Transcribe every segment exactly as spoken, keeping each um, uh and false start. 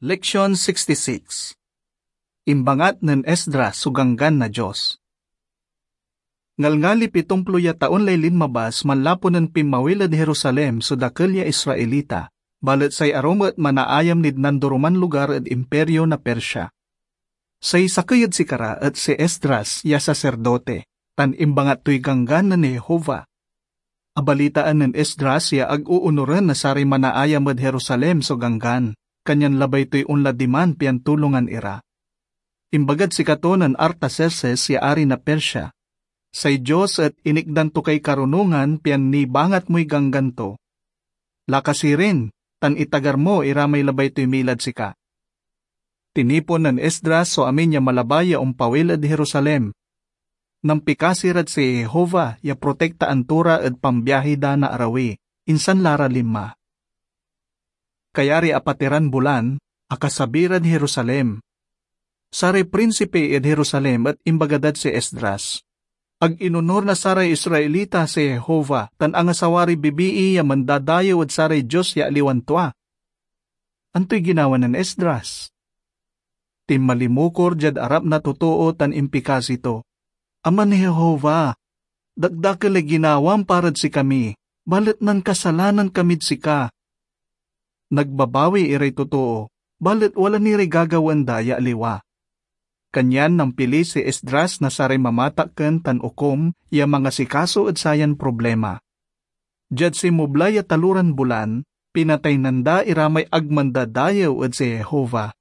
Leksyon sixty-six. Imbangat nen Esdras so Ganggan na Dios. Ngalngalip itumplo ya taon lay linmabas manlapu nen pinmawil ed Jerusalem so dakel ya Israelita, balet say arum et manaayam nid nandoroman lugar ed Imperio na Persia. Say sakey ed sikara et si Esdras ya saserdote, tan imbangat toy Ganggan nen Jehovah. Abalitaan nen Esdras ya ag oonuren na saray manaayam ed Jerusalem so Ganggan, kanyan labay toy onla diman pian tulongan ira. Imbagad sikato nen Artaxerxes ya ari na Persia, "Say Dios et inikdan to kay karunongan pian nibangat moy Ganggan to. Laka sirin, tan itagar mo ira may labay toy milad sika." Tinipon nen Esdras so amin ya malabay ya ompawil ed Jerusalem. Nampikasi rad si Jehovah ya protektaan to ra ed pambiahi da na arawi, insan la ra linma. Kayari apat iran bulan, akasabi rad Jerusalem. Saray prinsipi ed Jerusalem et imbaga dad si Esdras, "Ag inonur na saray Israelita si Jehovah tan angasawa ray bibii ya mandadayew ed saray dios ya aliwan tua." Antoy ginawa nen Esdras? Tinmalimukor diad arap na totoo tan impikasi to, "Aman Jehovah, dakdakel lay ginawam parad sikami, balet nankasalanan kamid sika." Nagbabawi iray totoo, balet wala ni ray gagawaen da ya aliwa. Kanyan nampili si Esdras na saray mamatakken tan okum ya mangasikaso ed sayan problema. Diad sinmubla ya taloran bulan, pinataynan da ira may ag mandadayew ed si Jehovah.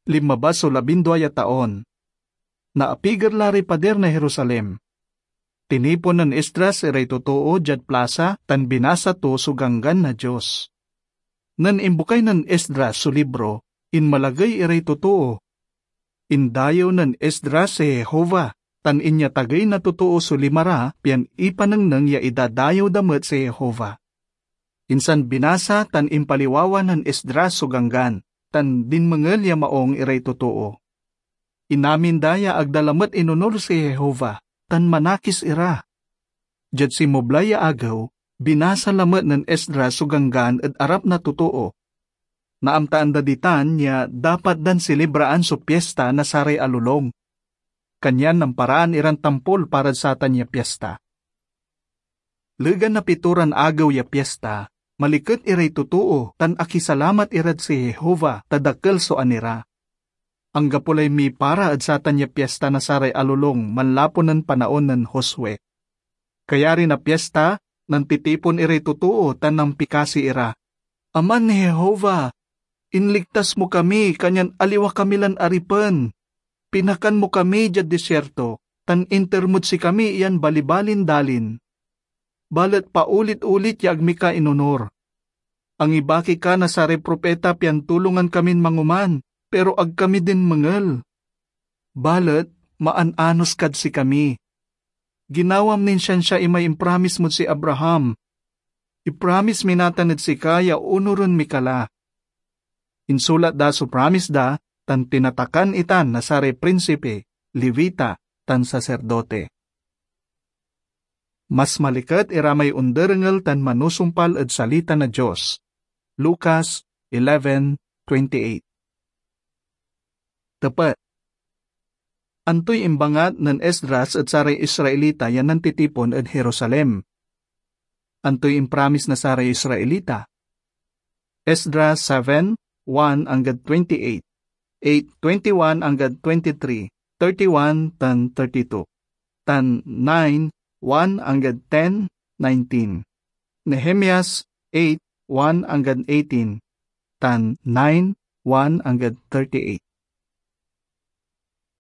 Linmabas so labindua ya taon. Naapiger la ray padir na Jerusalem. Tinipon nen Esdras iray totoo diad plasa tan binasa to so Ganggan na Dios. Nen imbukay nen Esdras so libro, inmalagey iray totoo. Indayew nen Esdras si Jehovah, tan inyatagey na totoo so lima ra pian ipanengneng ya idadayew da met si Jehovah. Insan binasa tan impaliwawa nen Esdras so Ganggan, tan dinmengel ya maung iray totoo. Inamin da ya ag da lamet inonur si Jehovah, tan manakis ira. Diad sinmubla ya agew, binasa lamet nen Esdras so Ganggan ed arap na totoo. Naamtaan da ditan ya dapat dan selebraan so Piesta na saray Alolong. Kanyan namparaan iran tampol parad satan ya piesta. Legan na pitoran agew ya piesta, maliket iray totoo tan akisalamat irad si Jehovah ta dakel so anira. Anggapo lay mipara ed satan ya piesta na saray Alolong manlapu nen panaon nen Josue. Kayari na piesta, nantitipon iray totoo tan nampikasi ira, "Aman Jehovah, inligtas mo kami kanyan aliwa kami lan aripen. Pinakan mo kami diad desierto, tan inter mod sikami yan balibalin dalin. Balet paulit-ulit ya ag mi ka inonur. Angibaki ka na saray propeta pian tulongan kamin mangoman, pero ag kami dinmengel. Balet maan-anos kad sikami. Ginawam nin siansia imay impromise mod si Abraham. Ipromise mi natan ed sika ya onuren mi ka la." Insulat da so promise da tan tinatakan itan na saray prinsipi, Levita, tan saserdote. Mas maliket ira may onderengel tan manusumpal ed salita na Dios. Lucas eleven twenty-eight. Tepet. Antoy imbangat nen Esdras ed saray Israelita ya nantitipon ed Jerusalem? Antoy impromise na saray Israelita? Esdras seven, one anggad twenty-eight, eight twenty-one anggad twenty-three, thirty-one tan thirty-two, tan nine, one anggad ten, nineteen. Nehemias eight, one anggad eighteen, tan nine, one anggad thirty-eight.